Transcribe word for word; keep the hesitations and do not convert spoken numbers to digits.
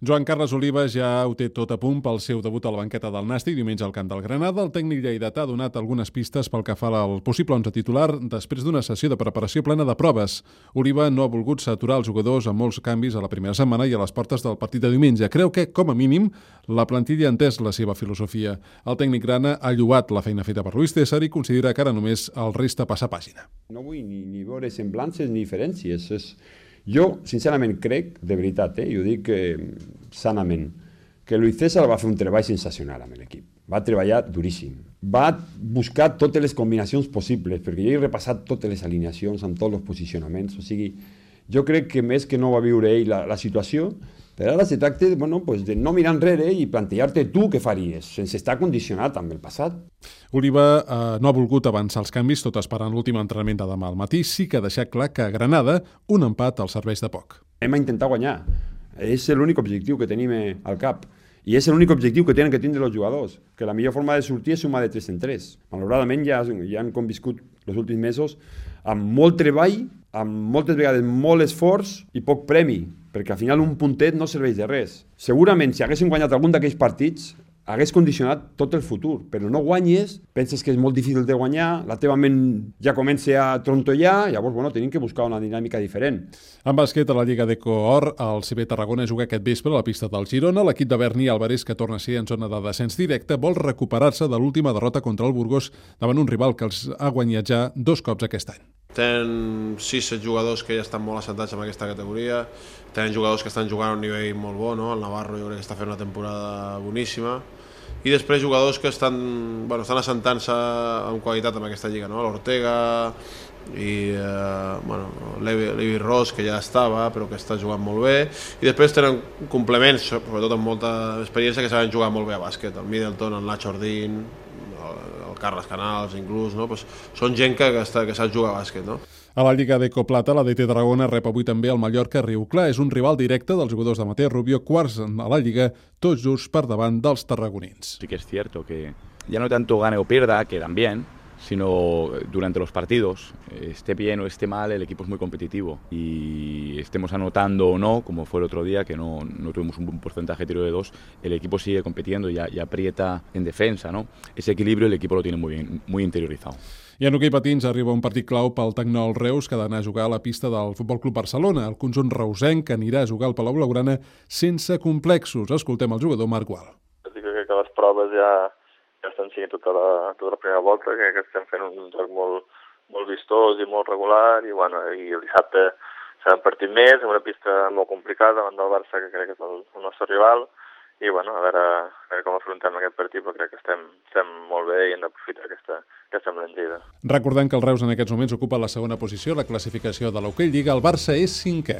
Joan Carles Oliva ja ho té tot a punt pel seu debut a la banqueta del Nàstic diumenge al camp del Granada. El tècnic lleidatà ha donat algunes pistes pel que fa al possible onze titular després d'una sessió de preparació plena de proves. Oliva no ha volgut saturar els jugadors amb molts canvis a la primera setmana i a les portes del partit de diumenge. Creu que, com a mínim, la plantilla ha entès la seva filosofia. El tècnic grana ha lloat la feina feta per Luis César i considera que ara només el resta passar pàgina. No vull ni, ni veure semblances ni diferències. És... Jo, sincerament, crec, de veritat, eh, i ho dic eh, sanament, que Luis César va fer un treball sensacional amb l'equip. Va treballar duríssim. Va buscar totes les combinacions possibles, perquè jo he repassat totes les alineacions amb tots els posicionaments. O sigui, jo crec que més que no va viure ell la, la situació, però ara se tracta bueno, pues de no mirar enrere i plantejar-te tu què faries, sense estar condicionat amb el passat. Oliva eh, no ha volgut avançar els canvis, tot esperant l'últim entrenament de demà al matí. Sí que ha deixat clar que a Granada un empat els serveix de poc. Hem a intentar guanyar. És l'únic objectiu que tenim al cap. I és l'únic objectiu que tenen que tindre els jugadors, que la millor forma de sortir és sumar de tres en tres. Malauradament ja, ja han conviscut els últims mesos amb molt treball, amb moltes vegades molt esforç i poc premi, perquè al final un puntet no serveix de res. Segurament si haguéssim guanyat algun d'aquells partits hagués condicionat tot el futur, però no guanyes, penses que és molt difícil de guanyar, la teva ment ja comença a trontollar, llavors bueno, tenim que buscar una dinàmica diferent. En bàsquet, a la Lliga d'Eco Or, el C B Tarragona juga aquest vespre a la pista del Girona. L'equip de Berni Álvarez, que torna a ser en zona de descens directe, vol recuperar-se de l'última derrota contra el Burgos davant un rival que els ha guanyat ja dos cops aquest any. Tenen sis set jugadors que ja estan molt assentats en aquesta categoria, tenen jugadors que estan jugant a un nivell molt bo, no? El Navarro jo crec que està fent una temporada boníssima, i després jugadors que estan, bueno, estan assentant-se amb qualitat en aquesta lliga, no? L'Ortega i eh, bueno, Levi, Levi Ross, que ja estava però que està jugant molt bé, i després tenen complements, sobretot amb molta experiència, que saben jugar molt bé a bàsquet, el Middleton, el Nacho Ordín, el Carles Canals inclús, no? Pues són gent que, que, està, que sap jugar a bàsquet, no? A la Lliga d'Eco Plata, la D T Tarragona rep avui també el Mallorca Riuclar. És un rival directe dels jugadors de Mateo Rubio, quarts a la Lliga, tots just per davant dels tarragonins. Sí que es cierto que ya no tanto gane o pierda, quedan bien, sino durante los partidos, esté bien o esté mal, el equipo es muy competitivo y estemos anotando o no, como fue el otro día, que no, no tuvimos un porcentaje de tiro de dos, el equipo sigue compitiendo y, y aprieta en defensa, ¿no? Ese equilibrio el equipo lo tiene muy bien, muy interiorizado. I en hoquei patins arriba un partit clau pel Tecnol Reus, que ha d'anar a jugar a la pista del Futbol Club Barcelona. El conjunt reusenc anirà a jugar al Palau Blaugrana sense complexos. Escoltem el jugador Marc Gual. Crec que les proves ja, ja estan sent tota la, tota la primera volta, que, que estem fent un joc molt, molt vistós i molt regular, i, bueno, i el dissabte serà un partit més, en una pista molt complicada davant del Barça, que crec que és el, el nostre rival, i bueno, a veure, a veure com afrontem aquest partit, però crec que estem, estem molt bé i hem d'aprofitar aquesta, aquesta embranzida. Recordem que el Reus en aquests moments ocupa la segona posició a la classificació de l'Hockey Lliga. El Barça és cinquè.